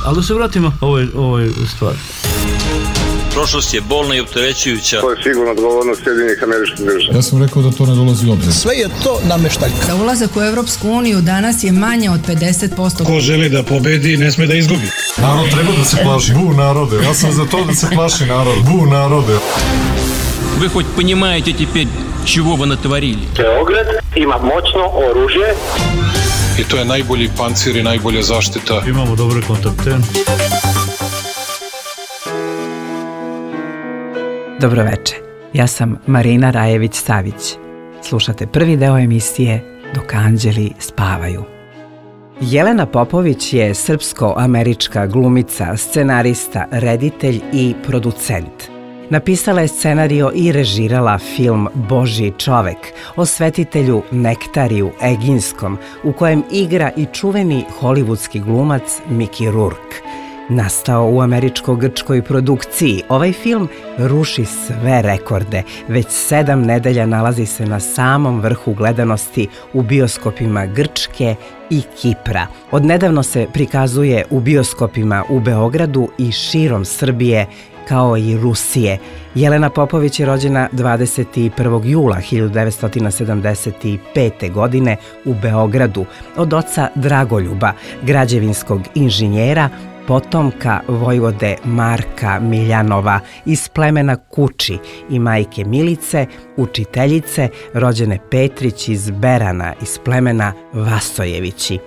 Ali da se vratimo ovoj stvari. Prošlost je bolna i opterećujuća. To je sigurno odgovornost Sjedinjenih Američkih Država. Ja sam rekao da to ne dolazi u obzir. Sve je to nameštaljka. Da ulazak u Evropsku uniju danas je manje od 50%. Ko želi da pobedi, ne sme da izgubi. Narod treba da se plaši. Bu narode. Ja sam za to da se plaši narod. Bu narode. Вы хоть понимаете теперь, чего вы натворили? Beograd ima moćno oružje. I to je najbolji pancir i najbolja zaštita. Imamo dobre kontakte. Dobroveče, ja sam Marina Rajević-Savić. Slušate prvi deo emisije Dok anđeli spavaju. Jelena Popović je srpsko-američka glumica, scenarista, reditelj i producent. Napisala je scenario i režirala film Božji čovek o svetitelju Nektariju Eginskom, u kojem igra i čuveni hollywoodski glumac Mickey Rourke. Nastao u američko-grčkoj produkciji, ovaj film ruši sve rekorde. Već 7 nedelja nalazi se na samom vrhu gledanosti u bioskopima Grčke i Kipra. Odnedavno se prikazuje u bioskopima u Beogradu i širom Srbije, kao i Rusije. Jelena Popović je rođena 21. jula 1975. godine u Beogradu od oca Dragoljuba, građevinskog inženjera, potomka vojvode Marka Miljanova iz plemena Kuči i majke Milice, učiteljice, rođene Petrić iz Berana iz plemena Vasojevići.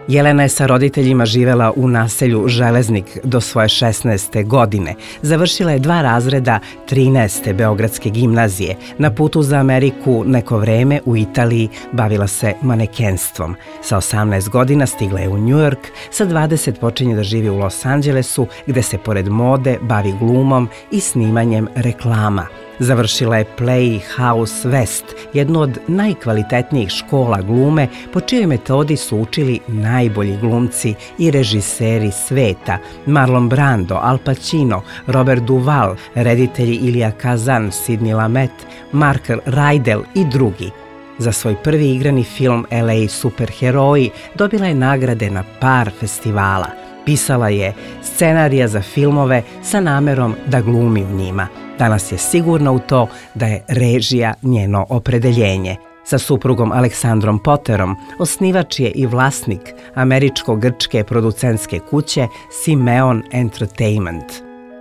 Jelena je sa roditeljima živela u naselju Železnik do svoje 16. godine. Završila je 2 razreda 13. Beogradske gimnazije. Na putu za Ameriku neko vreme u Italiji bavila se manekenstvom. Sa 18 godina stigla je u New York, sa 20 počinje da živi u Los Angelesu, gde se pored mode bavi glumom i snimanjem reklama. Završila je Playhouse West, jednu od najkvalitetnijih škola glume, po čijoj metodi su učili najbolji glumci i režiseri sveta: Marlon Brando, Al Pacino, Robert Duvall, reditelji Ilija Kazan, Sidney Lumet, Mark Rydell i drugi. Za svoj prvi igrani film LA Superheroji dobila je nagrade na par festivala. Pisala je scenarija za filmove sa namerom da glumi u njima. Danas je sigurna u to da je režija njeno opredeljenje. Sa suprugom Aleksandrom Potterom osnivač je i vlasnik američko-grčke producentske kuće Simeon Entertainment.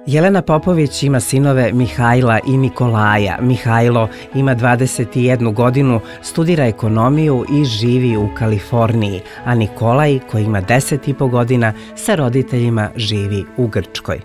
Jelena Popović ima sinove Mihajla i Nikolaja. Mihajlo ima 21 godinu, studira ekonomiju i živi u Kaliforniji, a Nikolaj, koji ima 10,5 godina, sa roditeljima živi u Grčkoj.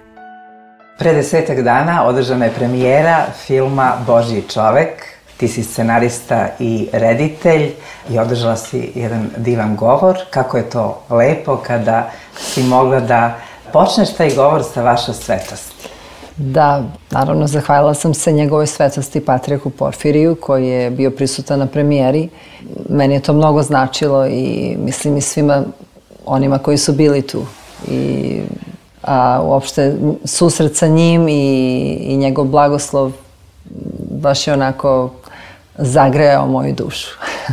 Pre 10 dana održana je premijera filma Božji čovek. Ti si scenarista i reditelj i održala si jedan divan govor. Kako je to lepo kada si mogla da počneš taj govor sa vaša svetosti. Da, naravno, zahvalila sam se njegovoj svetosti Patrijarhu Porfiriju koji je bio prisutan na premijeri. Meni je to mnogo značilo i mislim i svima onima koji su bili tu. A uopšte susret sa njim i njegov blagoslov baš je onako zagrejao moju dušu.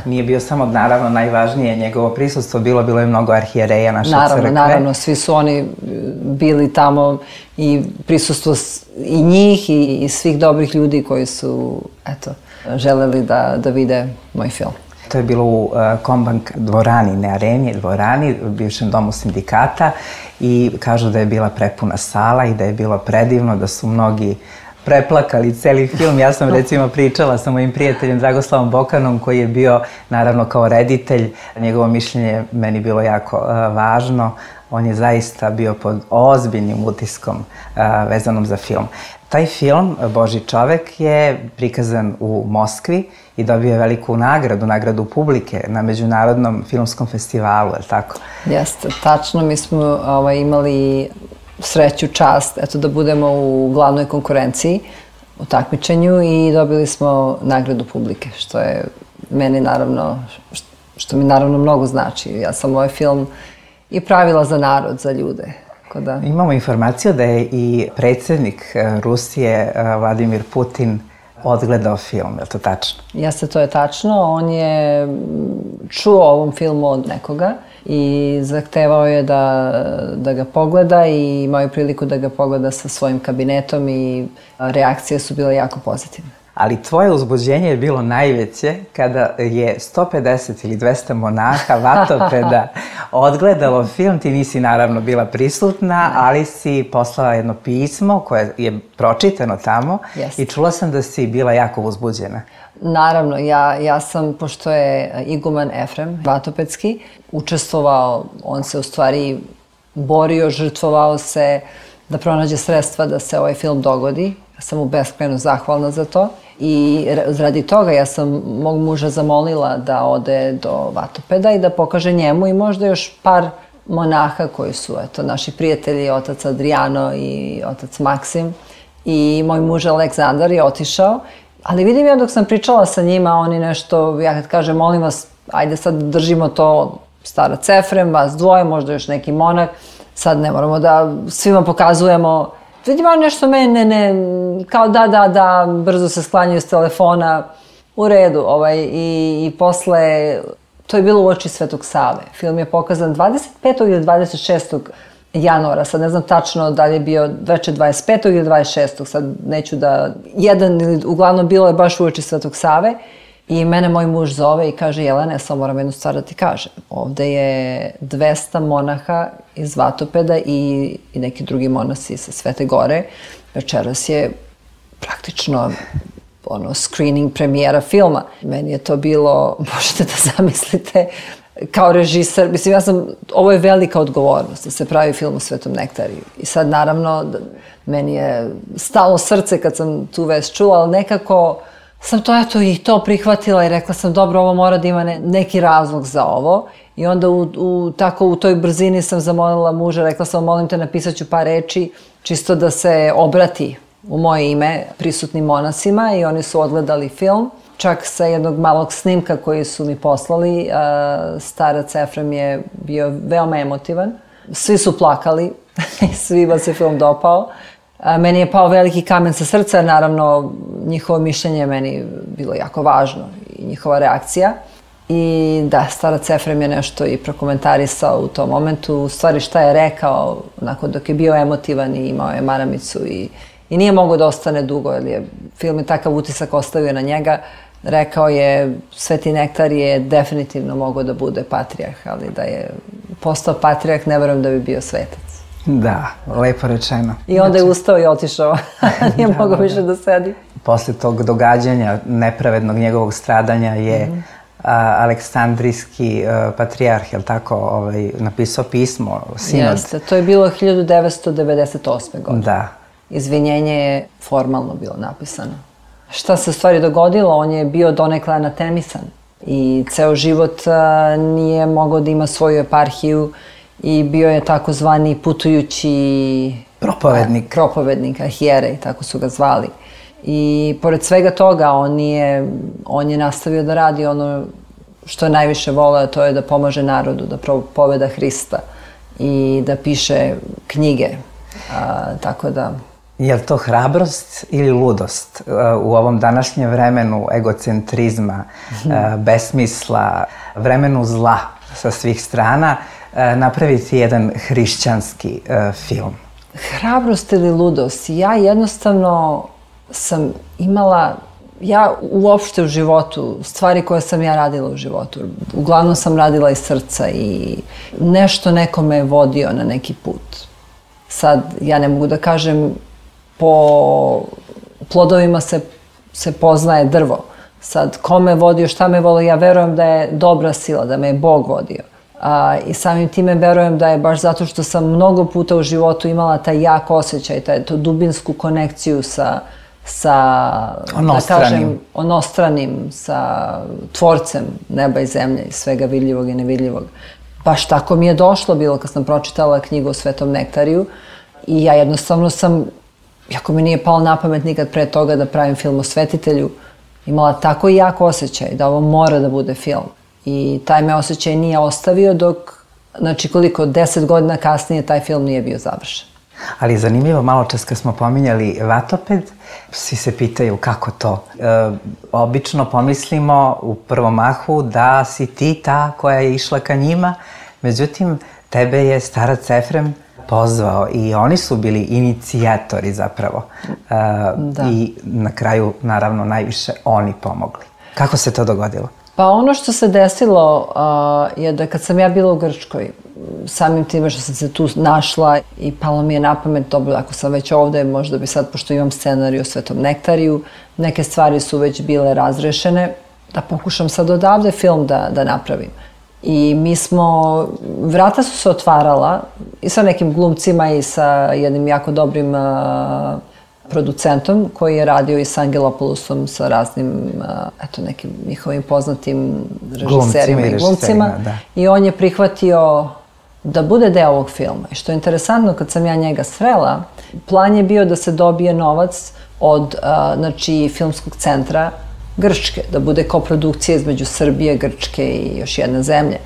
Nije bio samo, naravno, najvažnije njegovo prisustvo, bilo je mnogo arhijereja naše crkve. Naravno, svi su oni bili tamo i prisustvo i njih i svih dobrih ljudi koji su, želeli da vide moj film. To je bilo u Kombank dvorani, ne areni, dvorani, u bivšem domu sindikata i kažu da je bila prepuna sala i da je bilo predivno, da su mnogi preplakali celi film. Ja sam recimo pričala sa mojim prijateljem Dragoslavom Bokanom koji je bio naravno kao reditelj. Njegovo mišljenje meni bilo jako važno. On je zaista bio pod ozbiljnim utiskom vezanom za film. Taj film, Božji čovek, je prikazan u Moskvi i dobio je veliku nagradu publike na Međunarodnom filmskom festivalu, je li tako? Jeste, tačno. Mi smo imali sreću, čast, da budemo u glavnoj konkurenciji, u takmičenju i dobili smo nagradu publike, što je meni naravno, što mi naravno mnogo znači. Ja sam ovaj film i pravila za narod, za ljude. Imamo informaciju da je i predsjednik Rusije, Vladimir Putin, odgledao film, je li to tačno? Jeste, to je tačno. On je čuo o ovom filmu od nekoga i zahtevao je da ga pogleda i imao je priliku da ga pogleda sa svojim kabinetom i reakcije su bile jako pozitivne. Ali tvoje uzbuđenje je bilo najveće kada je 150 ili 200 monaha vatopeda odgledalo film. Ti nisi naravno bila prisutna, ali si poslala jedno pismo koje je pročitano tamo i čula sam da si bila jako uzbuđena. Naravno, ja sam, pošto je iguman Efrem Vatopedski, učestvovao, on se u stvari borio, žrtvovao se da pronađe sredstva da se ovaj film dogodi. Ja sam mu beskrajno zahvalna za to i radi toga ja sam mog muža zamolila da ode do Vatopeda i da pokaže njemu i možda još par monaha koji su, eto, naši prijatelji, otac Adriano i otac Maksim, i moj muž Aleksandar je otišao. Ali vidim ja dok sam pričala sa njima, oni nešto, ja kad kažem, molim vas, ajde sad držimo to, starac Efrem, vas dvoje, možda još neki monak, sad ne moramo da svima pokazujemo. Vidim oni nešto mene, kao da, brzo se sklanjaju s telefona, u redu, i posle, to je bilo u oči Svetog Save. Film je pokazan 25. ili 26. januara, sad ne znam tačno da li je bio veče 25. ili 26. Sad neću da, uglavnom bilo je baš u oči Svetog Save i mene moj muž zove i kaže: Jelena, ja samo moram jednu stvar da ti kažem. Ovde je 200 monaha iz Vatopeda i neki drugi monasi sa Svete Gore. Večeras je praktično screening premijera filma. Meni je to bilo, možete da zamislite, kao režiser, mislim, ovo je velika odgovornost da se pravi film o Svetom nektariju. I sad, naravno, meni je stalo srce kad sam tu vest čula, ali nekako sam to, eto, i to prihvatila i rekla sam, dobro, ovo mora da ima neki razlog za ovo. I onda u toj brzini sam zamolila muža, rekla sam, molim te, napisat ću par reči, čisto da se obrati u moje ime prisutnim monasima, i oni su odgledali film. Čak sa jednog malog snimka koji su mi poslali, starac Efrem je bio veoma emotivan. Svi su plakali, svima se film dopao. Meni je pao veliki kamen sa srca, naravno njihovo mišljenje je meni bilo jako važno i njihova reakcija. I da, starac Efrem je nešto i prokomentarisao u tom momentu. U stvari šta je rekao, onako dok je bio emotivan i imao je maramicu i nije mogao da ostane dugo, jer film je takav utisak ostavio na njega. Rekao je, Sveti nektar je definitivno mogao da bude patrijarh, ali da je postao patrijarh, ne verujem da bi bio svetac. Da, lepo rečeno. I onda je ustao i otišao, nije mogao više da sedi. Posle tog događanja, nepravednog njegovog stradanja, je Aleksandrijski patrijarh, je li tako, napisao pismo, sinod. Jeste, to je bilo 1998. godine. Da. Izvinjenje je formalno bilo napisano. Šta se u stvari dogodilo? On je bio donekle anatemisan i ceo život nije mogao da ima svoju eparhiju i bio je takozvani putujući propovednik, arhijerej, tako su ga zvali. I pored svega toga on je nastavio da radi ono što je najviše voleo, to je da pomaže narodu, da propoveda Hrista i da piše knjige, tako da... Je li to hrabrost ili ludost u ovom današnjem vremenu egocentrizma, besmisla, vremenu zla sa svih strana, napraviti jedan hrišćanski film? Hrabrost ili ludost? Ja jednostavno sam imala, ja uopšte u životu, stvari koje sam ja radila u životu, uglavnom sam radila iz srca i nešto nekome je vodio na neki put. Sad, ja ne mogu da kažem, po plodovima se poznaje drvo. Sad, ko me vodio, šta me volio, ja verujem da je dobra sila, da me je Bog vodio. I samim time verujem da je baš zato što sam mnogo puta u životu imala taj jak osjećaj, tu dubinsku konekciju sa onostranim, sa tvorcem neba i zemlje i svega vidljivog i nevidljivog. Baš tako mi je došlo bilo kad sam pročitala knjigu o Svetom nektariju i ja jednostavno sam, iako mi nije palo na pamet nikad pre toga da pravim film o svetitelju, imala tako jak osjećaj da ovo mora da bude film. I taj me osjećaj nije ostavio dok, znači koliko, 10 godina kasnije taj film nije bio završen. Ali zanimljivo, malo čas kad smo pominjali Vatoped, svi se pitaju kako to. Obično pomislimo u prvom mahu da si ti ta koja je išla ka njima, Međutim, tebe je starac Efrem pozvao i oni su bili inicijatori zapravo. I na kraju, naravno, najviše oni pomogli. Kako se to dogodilo? Pa ono što se desilo je da kad sam ja bila u Grčkoj, samim time što sam se tu našla i palo mi je na pamet, dobro, ako sam već ovde, možda bi sad, pošto imam scenarij o Svetom nektariju, neke stvari su već bile razrešene, da pokušam sad odavde film da napravim. I mi smo, vrata su se otvarala i sa nekim glumcima i sa jednim jako dobrim producentom koji je radio i sa Angelopoulosom, sa raznim, nekim njihovim poznatim režiserima i glumcima. I on je prihvatio da bude deo ovog filma. I što je interesantno, kad sam ja njega srela, plan je bio da se dobije novac od, Filmskog centra Grčke, da bude koprodukcija između Srbije, Grčke i još jedne zemlje.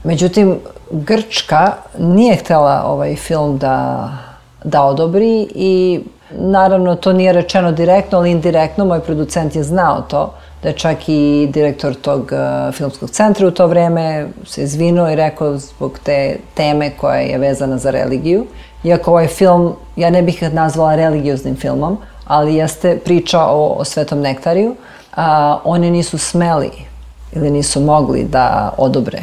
Međutim, Grčka nije htela ovaj film da odobri i naravno to nije rečeno direktno, ali indirektno. Moj producent je znao to, da je čak i direktor tog filmskog centra u to vreme se izvinuo i rekao zbog te teme koja je vezana za religiju. Iako ovaj film, ja ne bih ga nazvala religioznim filmom, ali jeste priča o Svetom nektariju, oni nisu smeli ili nisu mogli da odobre,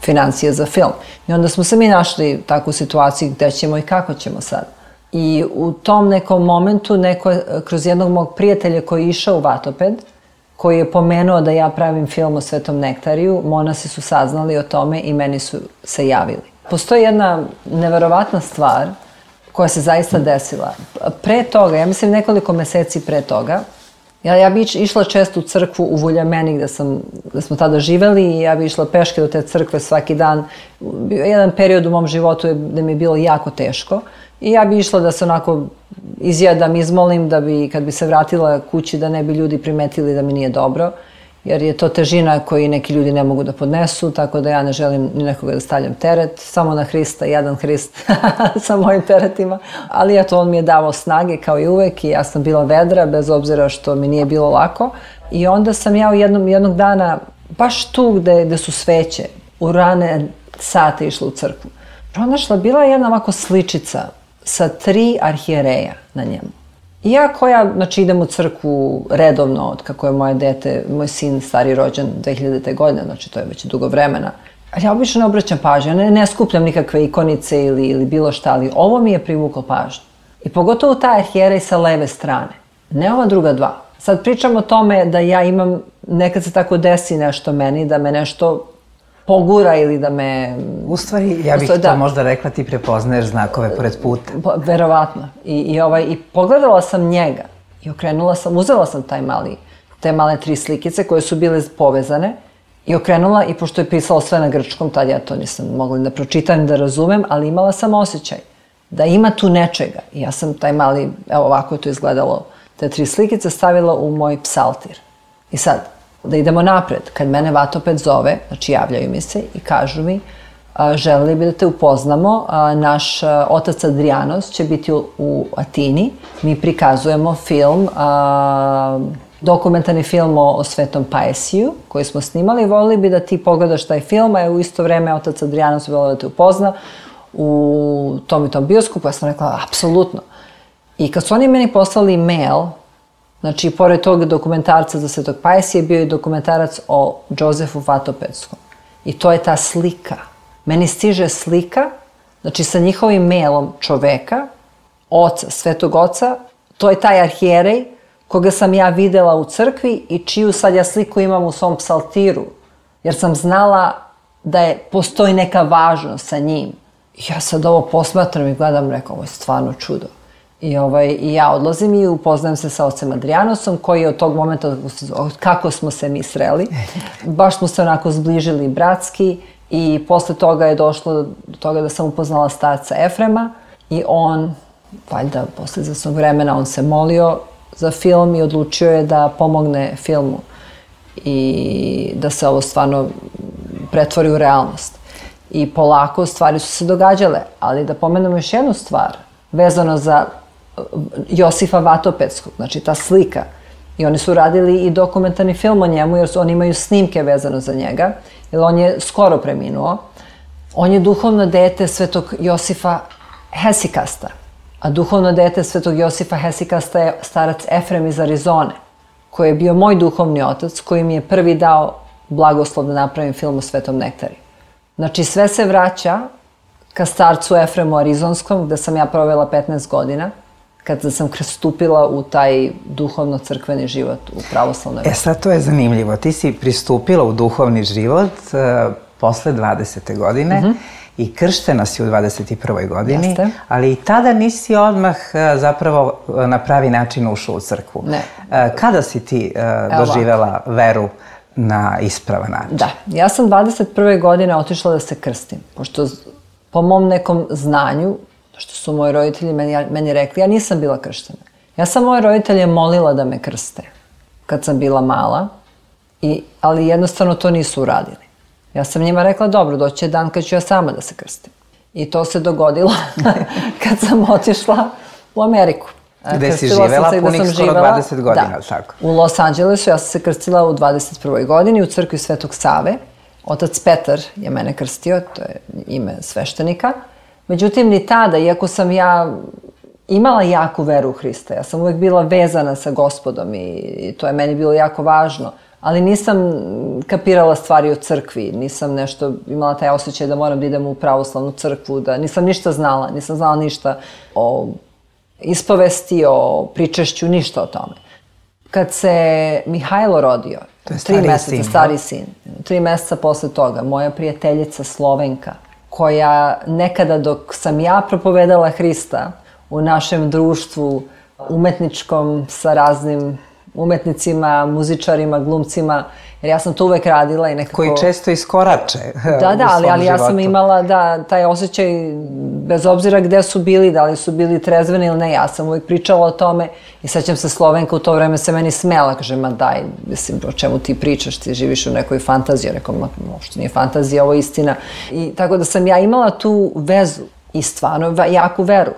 financije za film. I onda smo se mi našli takvu situaciju gde ćemo i kako ćemo sad. I u tom nekom momentu, kroz jednog mog prijatelja koji je išao u Vatoped, koji je pomenuo da ja pravim film o Svetom nektariju, monasi su saznali o tome i meni su se javili. Postoji jedna neverovatna stvar koja se zaista desila. Pre toga, ja mislim nekoliko meseci pre toga, ja bi išla često u crkvu u Vuljameni gde smo tada živeli i ja bi išla peške do te crkve svaki dan. Jedan period u mom životu gde mi je bilo jako teško i ja bi išla da se onako izjedam, izmolim da bi kad bi se vratila kući da ne bi ljudi primetili da mi nije dobro, jer je to težina koju neki ljudi ne mogu da podnesu, tako da ja ne želim ni nekoga da stavljam teret, samo na Hrista, jedan Hrist sa mojim teretima. Ali eto, on mi je davao snage kao i uvek i ja sam bila vedra, bez obzira što mi nije bilo lako. I onda sam ja jednog dana, baš tu gde su sveće, u rane sate išla u crkvu, pronašla, bila je jedna ovako sličica sa 3 arhijereja na njemu. I ja koja, idem u crkvu redovno od kako je moje dete, moj sin stari rođen 2000. godine, to je već dugo vremena. Ali ja obično ne obraćam pažnju, ne skupljam nikakve ikonice ili bilo šta, ali ovo mi je privuklo pažnju. I pogotovo taj arhijerej sa leve strane, ne ova druga dva. Sad pričam o tome da ja imam, nekad se tako desi nešto meni, da me nešto pogura ili da me... U stvari, ja bih to možda rekla, ti prepoznaješ znakove pored puta. Verovatno. I pogledala sam njega i uzela sam te male 3 slikice koje su bile povezane i okrenula, i pošto je pisalo sve na grčkom, tad ja to nisam mogla da pročitam, da razumem, ali imala sam osjećaj da ima tu nečega. I ja sam taj mali, evo ovako je to izgledalo, te 3 slikice stavila u moj psaltir. I sad, da idemo napred. Kad mene Vatoped zove, javljaju mi se i kažu mi, želeli bi da te upoznamo, naš otac Adrianos će biti u Atini, mi prikazujemo film, dokumentarni film o Svetom Paisiju koji smo snimali, volili bi da ti pogledaš taj film, a u isto vreme otac Adrianos volio da te upozna u tom i tom bioskopu. Ja sam rekla, apsolutno. I kad su oni meni poslali mail, pored tog dokumentarca za Svetog Paisija je bio i dokumentarac o Jozefu Vatopedskom. I to je ta slika. Meni stiže slika, sa njihovim mailom čoveka, oca, Svetog oca, to je taj arhijerej koga sam ja videla u crkvi i čiju sad ja sliku imam u svom psaltiru, jer sam znala da postoji neka važnost sa njim. Ja sad ovo posmatram i gledam, rekao, ovo je stvarno čudo. I ja odlazim i upoznajem se sa ocem Adrianosom, koji je od tog momenta, kako smo se mi sreli, baš smo se onako zbližili bratski i posle toga je došlo do toga da sam upoznala starca Efrema i on, valjda posle izvesnog vremena, on se molio za film i odlučio je da pomogne filmu i da se ovo stvarno pretvori u realnost. I polako stvari su se događale, ali da pomenemo još jednu stvar, vezano za Josifa Vatopedskog, ta slika. I oni su radili i dokumentarni film o njemu, jer oni imaju snimke vezano za njega, jer on je skoro preminuo. On je duhovno dete svetog Josifa Hesikasta, a duhovno dete svetog Josifa Hesikasta je starac Efrem iz Arizone, koji je bio moj duhovni otac, koji mi je prvi dao blagoslov da napravim film o Svetom nektariju. Znači, sve se vraća ka starcu Efremu Arizonskom, gde sam ja provela 15 godina, kada sam stupila u taj duhovno-crkveni život u pravoslavnoj veri. Sad to je zanimljivo. Ti si pristupila u duhovni život posle 20. godine i krštena si u 21. godini, Jeste. ali i tada nisi odmah zapravo na pravi način ušla u crkvu. Ne. Kada si ti doživela veru na ispravan način? Da, ja sam 21. godine otišla da se krstim, pošto po mom nekom znanju, što su moji roditelji meni rekli, ja nisam bila krštena. Ja sam moje roditelje molila da me krste kad sam bila mala, ali jednostavno to nisu uradili. Ja sam njima rekla, dobro, doći je dan kad ću ja sama da se krstim. I to se dogodilo kad sam otišla u Ameriku. Gde si živela punih skoro 20 godina, tako? U Los Angelesu. Ja sam se krstila u 21. godini u crkvi Svetog Save. Otac Petar je mene krstio, to je ime sveštenika. Međutim, ni tada, iako sam ja imala jaku veru u Hrista, ja sam uvek bila vezana sa Gospodom i to je meni bilo jako važno, ali nisam kapirala stvari o crkvi, nisam nešto imala taj osjećaj da moram da idem u pravoslavnu crkvu, da nisam ništa znala, nisam znala ništa o ispovesti, o pričešću, ništa o tome. Kad se Mihajlo rodio, 3 meseca, stari sin, 3 meseca posle toga, moja prijateljica Slovenka, koja nekada dok sam ja propovedala Hrista u našem društvu umetničkom sa raznim umetnicima, muzičarima, glumcima, jer ja sam to uvek radila i nekako... Koji često iskorače Da, ali ja sam imala taj osjećaj, bez obzira gde su bili, da li su bili trezveni ili ne, ja sam uvek pričala o tome i sećam se Slovenka u to vreme se meni smela, kaže, ma daj, mislim, o čemu ti pričaš, ti živiš u nekoj fantaziji, rekao, što nije fantazija, ovo je istina. I tako da sam ja imala tu vezu i stvarno jaku veru.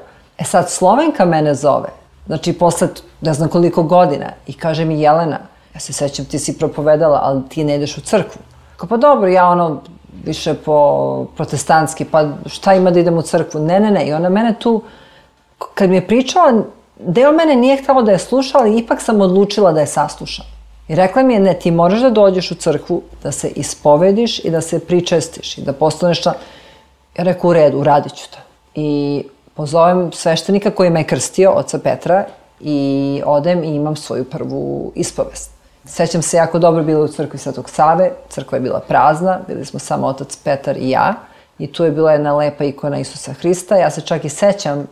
Sad, Slovenka mene zove, znači, posle ne znam koliko godina, i kaže mi, Jelena, ja se sećam, ti si propovedala, ali ti ne ideš u crkvu. Kao, pa dobro, ja više po protestantski, pa šta ima da idem u crkvu? Ne. I ona mene tu, kad mi je pričala, deo mene nije htjela da je sluša, ali ipak sam odlučila da je saslušam. I rekla mi je, ne, ti moraš da dođeš u crkvu, da se ispovediš i da se pričestiš i da postaneš član. Ja rekao, u redu, uradit ću to. I pozovem sveštenika koji me je krstio, oca Petra, i odem i imam svoju prvu ispovest. Sećam se jako dobro, bila u crkvi Svetog Save, crkva je bila prazna, bili smo samo otac Petar i ja, i tu je bila jedna lepa ikona Isusa Hrista. Ja se čak i sećam,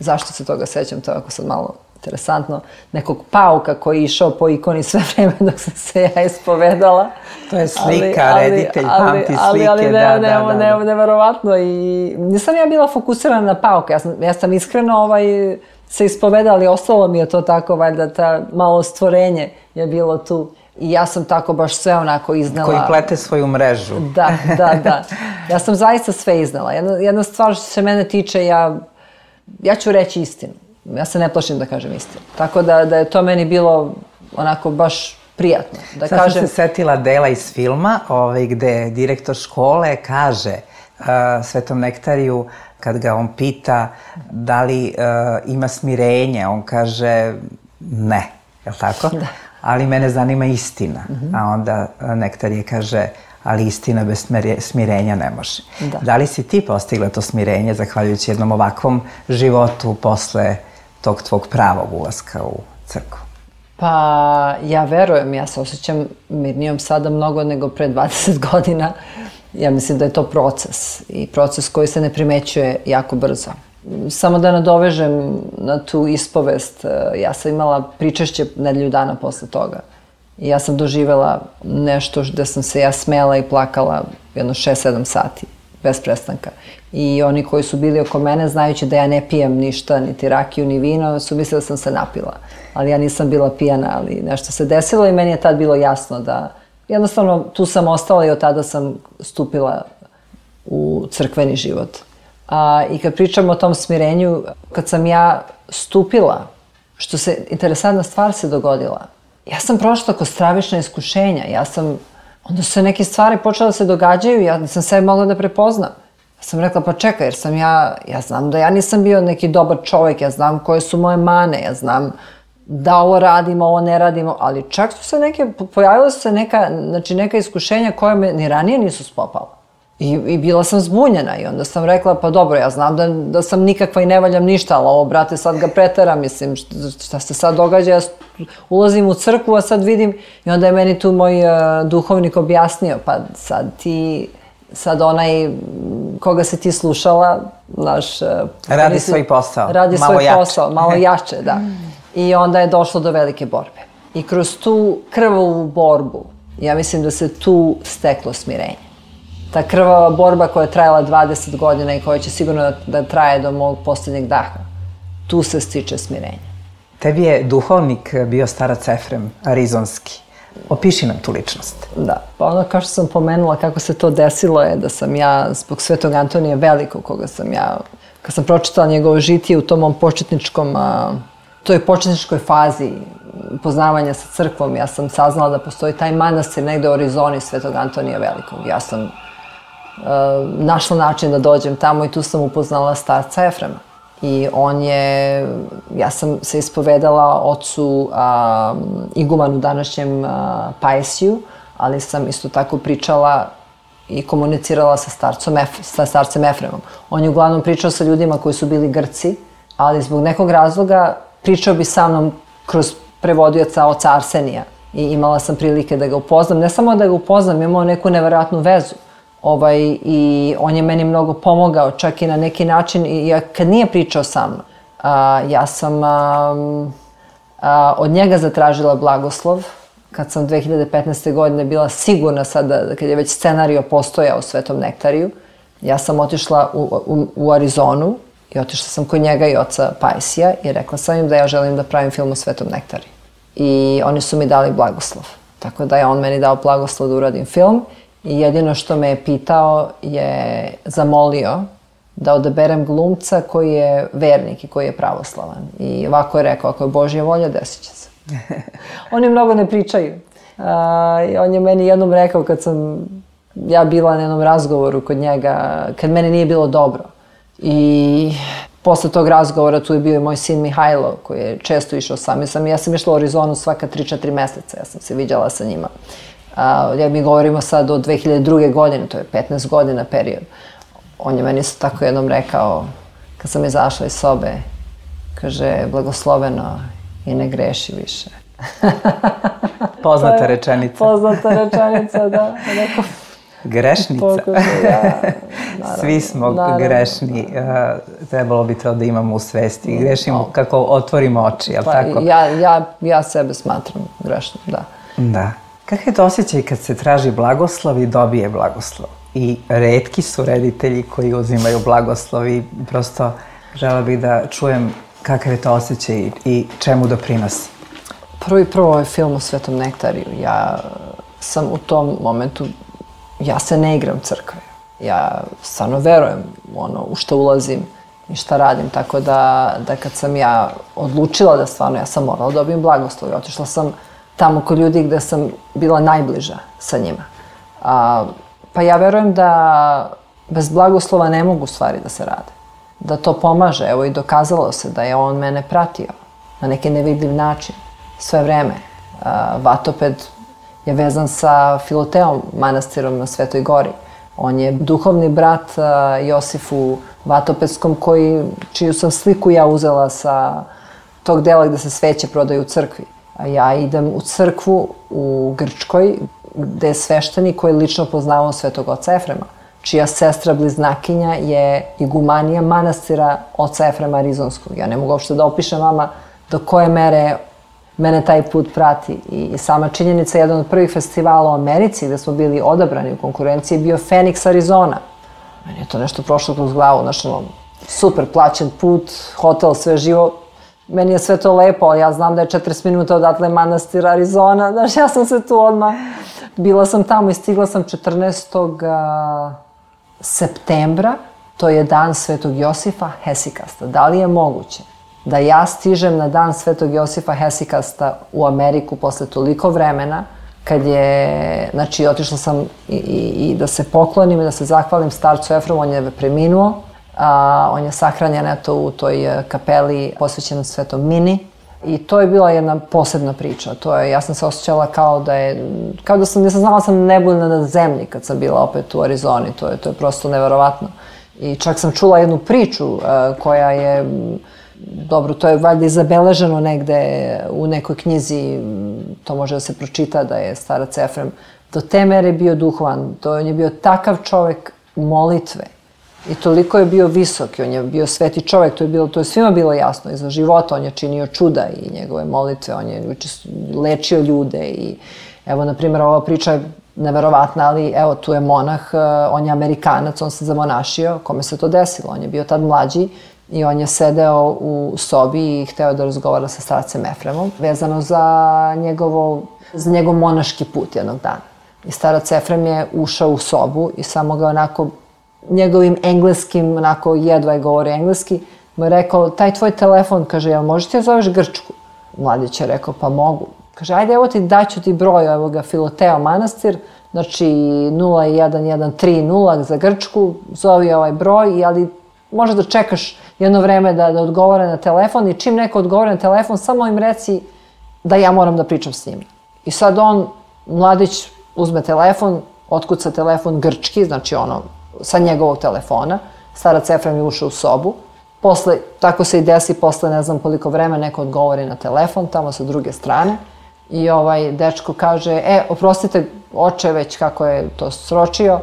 zašto se toga sećam, to je ako sad malo interesantno, nekog pauka koji je išao po ikoni sve vreme dok sam se ja ispovedala. To je slika, reditelj pamti slike, ali neverovatno. I nisam ja bila fokusirana na pauka, ja sam iskreno se ispovedala, ali ostalo mi je to tako, valjda, ta malo stvorenje je bilo tu. I ja sam tako baš sve onako iznala. Koji plete svoju mrežu. Da. Ja sam zaista sve iznala. Jedna stvar što se mene tiče, ja ću reći istinu. Ja se ne plašim da kažem istinu. Tako da je to meni bilo onako baš prijatno. Sad sam se setila dela iz filma gde direktor škole kaže Svetom nektariju, kad ga on pita da li ima smirenje, on kaže ne, je li tako? Da. Ali mene zanima istina. A onda nektarije kaže, ali istina bez smirenja ne može. Da li si ti postigla to smirenje zahvaljujući jednom ovakvom životu posle tog tvog pravog ulaska u crkvu? Pa ja verujem, ja se osjećam mirnijom sada mnogo nego pre 20 godina. Ja mislim da je to proces i proces koji se ne primećuje jako brzo. Samo da nadovežem na tu ispovest, ja sam imala pričešće nedelju dana posle toga. I ja sam doživela nešto gde sam se ja smela i plakala jedno 6-7 sati, bez prestanka. I oni koji su bili oko mene, znajući da ja ne pijem ništa, niti rakiju, ni vino, su mislili da sam se napila. Ali ja nisam bila pijana, ali nešto se desilo i meni je tad bilo jasno da jednostavno tu sam ostala i od tada sam stupila u crkveni život. I kad pričamo o tom smirenju, kad sam ja stupila, interesantna stvar se dogodila. Ja sam prošla kroz stravična iskušenja, onda su neke stvari počele da se događaju, ja nisam sebe mogla da prepoznam. Sam rekla, pa čekaj, jer sam ja znam da ja nisam bio neki dobar čovjek, ja znam koje su moje mane, ja znam da ovo radimo, ovo ne radimo, ali čak su se pojavila su se neka iskušenja koja me ni ranije nisu spopala. I bila sam zbunjena i onda sam rekla, pa dobro, ja znam da sam nikakva i ne valjam ništa, ali ovo, brate, sad ga preteram, mislim, šta se sad događa, ja ulazim u crkvu, a sad vidim, i onda je meni tu moj duhovnik objasnio, pa sad onaj koga si ti slušala, naš... Radi svoj posao, radi svoj posao, malo jače, da. I onda je došlo do velike borbe. I kroz tu krvavu borbu, ja mislim da se tu steklo smirenje. Ta krvava borba koja je trajala 20 godina i koja će sigurno da traje do mog posljednjeg daha, tu se stiče smirenje. Tebi je duhovnik bio starac Efrem, arizonski. Opiši nam tu ličnost. Da, pa ono kao što sam pomenula kako se to desilo je da sam ja zbog Svetog Antonija Velikog, koga sam ja, kad sam pročitala njegovo žitije u tom mom toj početničkoj fazi poznavanja sa crkvom, ja sam saznala da postoji taj manastir negde u Arizoni Svetog Antonija Velikog. Ja sam našla način da dođem tamo i tu sam upoznala starca Efrema. I ja sam se ispovedala ocu igumanu današnjem Paisiju, ali sam isto tako pričala i komunicirala sa starcem Efremom. On je uglavnom pričao sa ljudima koji su bili Grci, ali zbog nekog razloga pričao bi sa mnom kroz prevodioca oca Arsenija. I imala sam prilike da ga upoznam. Ne samo da ga upoznam, imao neku neverovatnu vezu. I on je meni mnogo pomogao, čak i na neki način, i kad nije pričao sa mnom, ja sam od njega zatražila blagoslov, kad sam 2015. godine bila sigurna sada, kad je već scenario postojao u Svetom Nektariju, ja sam otišla u Arizonu i otišla sam kod njega i oca Paisija i rekla sam im da ja želim da pravim film o Svetom Nektariju. I oni su mi dali blagoslov, tako da je on meni dao blagoslov da uradim film. I jedino što me je pitao je zamolio da odaberem glumca koji je vernik i koji je pravoslavan. I ovako je rekao, ako je Božja volja, desit će se. Oni mnogo ne pričaju. On je meni jednom rekao kad sam ja bila na jednom razgovoru kod njega, kad meni nije bilo dobro. I posle tog razgovora tu je bio i moj sin Mihajlo koji je često išao sa mnom. Ja sam išla u Arizonu svaka 3-4 meseca, ja sam se viđala sa njima. Mi govorimo sad o 2002. godine, to je 15 godina period. On je meni isto tako jednom rekao, kad sam izašla iz sobe, kaže, blagosloveno i ne greši više. Poznata rečenica. Poznata rečenica, da. Grešnica. Svi smo grešni. Trebalo bi to da imamo u svesti. Grešimo kako otvorimo oči, jel tako? Ja sebe smatram grešnom, da. Da. Kakav je to osjećaj kad se traži blagoslov i dobije blagoslov? I retki su reditelji koji uzimaju blagoslov i prosto žela bih da čujem kakav je to osjećaj i čemu doprinosi. Prvo ovaj film o Svetom Nektariju. Ja sam u tom momentu, ja se ne igram crkve. Ja stvarno verujem u što ulazim i šta radim. Tako da kad sam ja odlučila da stvarno, ja sam morala da dobijem blagoslov. Otišla sam tamo kod ljudi gde sam bila najbliža sa njima. Pa ja verujem da bez blagoslova ne mogu stvari da se rade. Da to pomaže, evo i dokazalo se da je on mene pratio na neki nevidljiv način sve vreme. Vatoped je vezan sa Filoteom manastirom na Svetoj Gori. On je duhovni brat Josifu Vatopedskom čiju sam sliku ja uzela sa tog dela gde se sveće prodaju u crkvi. Ja idem u crkvu u Grčkoj, gde je sveštenik koji je lično poznavao Svetog oca Efrema, čija sestra bliznakinja je igumanija manastira oca Efrema Arizonskog. Ja ne mogu uopšte da opišem vama do koje mere mene taj put prati. I sama činjenica, jedan od prvih festivala u Americi gde smo bili odabrani u konkurenciji bio Phoenix, Arizona. Meni je to nešto prošlo kroz glavu, super plaćen put, hotel, sve živo. Meni je sve to lepo, ali ja znam da je 40 minuta odatle manastir Arizona. Znaš, ja sam se tu odmah... Bila sam tamo i stigla sam 14. septembra. To je dan Svetog Josifa Hesikasta. Da li je moguće da ja stižem na dan Svetog Josifa Hesikasta u Ameriku posle toliko vremena, kad je, znači, otišla sam i da se poklonim i da se zahvalim starcu Efremu, on je preminuo, on je sahranjen eto u toj kapeli posvećenom Svetom Mini i to je bila jedna posebna priča. Ja sam se osjećala kao da sam znala sam nebuljna na zemlji kad sam bila opet u Arizoni, to je prosto neverovatno. I čak sam čula jednu priču koja je, dobro, to je valjda i zabeleženo negde u nekoj knjizi, to može da se pročita da je starac Efrem do te mere bio duhovan, on je bio takav čovek molitve i toliko je bio visok i on je bio sveti čovek, to je svima bilo jasno, i za života on je činio čuda i njegove molitve, on je lečio ljude i evo, na primjer, ova priča je neverovatna, ali evo, tu je monah, on je Amerikanac, on se zamonašio, kome se to desilo, on je bio tad mlađi i on je sedeo u sobi i hteo da razgovara sa starcem Efremom, vezano za njegov monaški put jednog dana. I starac Efrem je ušao u sobu i samo ga onako, njegovim engleskim, onako jedva je govorio engleski, mu je rekao, taj tvoj telefon, kaže, jel možeš ti zoveš Grčku? Mladić je rekao, pa mogu. Kaže, ajde, evo ti, daću ti broj, evo ga, Filoteo manastir, znači 01130 za Grčku, zovi ovaj broj, ali možeš da čekaš jedno vreme da odgovore na telefon i čim neko odgovore na telefon, samo im reci da ja moram da pričam s njim. I sad mladić uzme telefon, otkuca telefon grčki, znači sa njegovog telefona, starac Efrem je ušao u sobu, posle, tako se i desi, posle ne znam koliko vremena neko odgovori na telefon, tamo sa druge strane, i dečko kaže, oprostite, oče već kako je to sročio,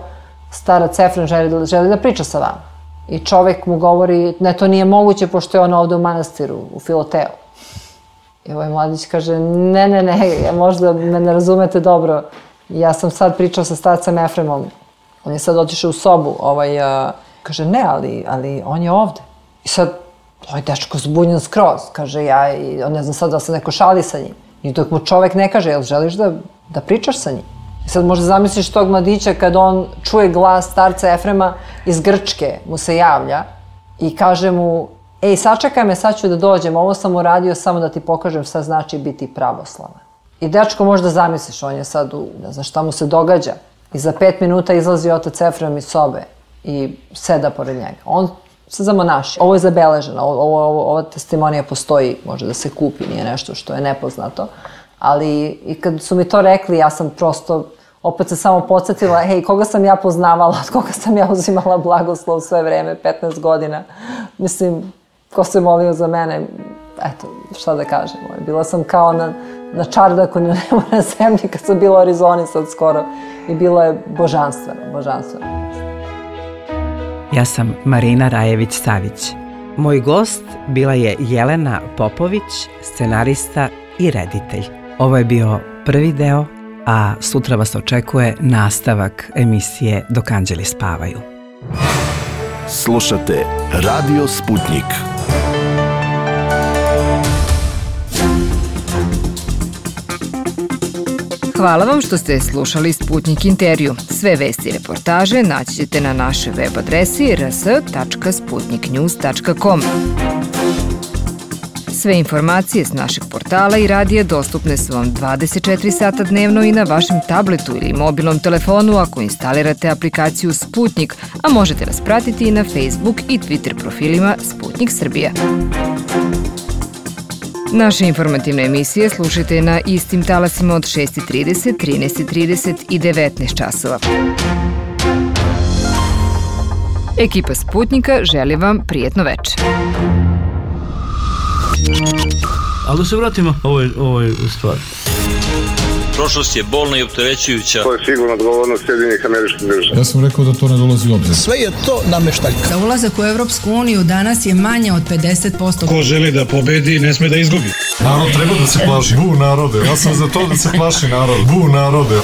starac Efrem želi da priča sa vama. I čovek mu govori, ne, to nije moguće, pošto je on ovde u manastiru, u Filoteu. I mladić kaže, ne, možda me ne razumete dobro, ja sam sad pričao sa starcem Efremom, on je sad otišao u sobu, kaže, ne, ali on je ovde. I sad, dečko zbunjen skroz, kaže, on ne znam sad da se neko šali sa njim. I dok mu čovek ne kaže, jel želiš da pričaš sa njim? I sad možda zamisliš tog mladića kad on čuje glas starca Efrema iz Grčke, mu se javlja i kaže mu, sačekaj me, sad ću da dođem, ovo sam uradio samo da ti pokažem šta znači biti pravoslavan. I dečko možda zamisliš, on je sad ne znam šta mu se događa. I za 5 minuta izlazi otac Efrem iz sobe i seda pored njega. On se zamonaši. Ovo je zabeleženo, ova testimonija postoji, može da se kupi, nije nešto što je nepoznato. Ali i kad su mi to rekli, ja sam prosto opet se samo podsjetila, koga sam ja poznavala, od koga sam ja uzimala blagoslov sve vreme, 15 godina. Mislim, ko se molio za mene, eto, šta da kažem. Bila sam kao na čardaku na zemlji kad sam bila u Arizoni sad skoro i bilo je božanstveno. Ja sam Marina Rajević-Savić. Moj gost bila je Jelena Popović, scenarista i reditelj. Ovo je bio prvi deo, a sutra vas očekuje nastavak emisije Dok anđeli spavaju. Slušate Radio Sputnik. Hvala vam što ste slušali Sputnik intervju. Sve vesti i reportaže naći ćete na našoj web adresi rs.sputniknews.com. Sve informacije s našeg portala i radija dostupne su vam 24 sata dnevno i na vašem tabletu ili mobilnom telefonu ako instalirate aplikaciju Sputnik, a možete nas pratiti i na Facebook i Twitter profilima Sputnik Srbija. Naše informativne emisije slušajte na istim talasima od 6:30, 13:30 i 19 časova. Ekipa Sputnika želi vam prijetno večer. Ali da se vratimo ovoj stvari. Prošlost je bolna i opterećujuća. To je sigurno odgovornost Sjedinjenih Američkih Država. Ja sam rekao da to ne dolazi u obzir. Sve je to nameštaljka. Za ulazak u Evropsku uniju danas je manje od 50%. Ko želi da pobedi, ne sme da izgubi. Narod treba da se plaši. Bu narode. Ja sam za to da se plaši narod. Bu narode.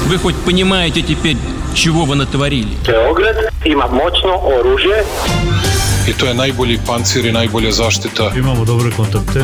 Вы хоть понимаете теперь, чего вы натворили? Beograd ima moćno oružje. I to je najbolji pancir i najbolja zaštita. Imamo dobre kontakte.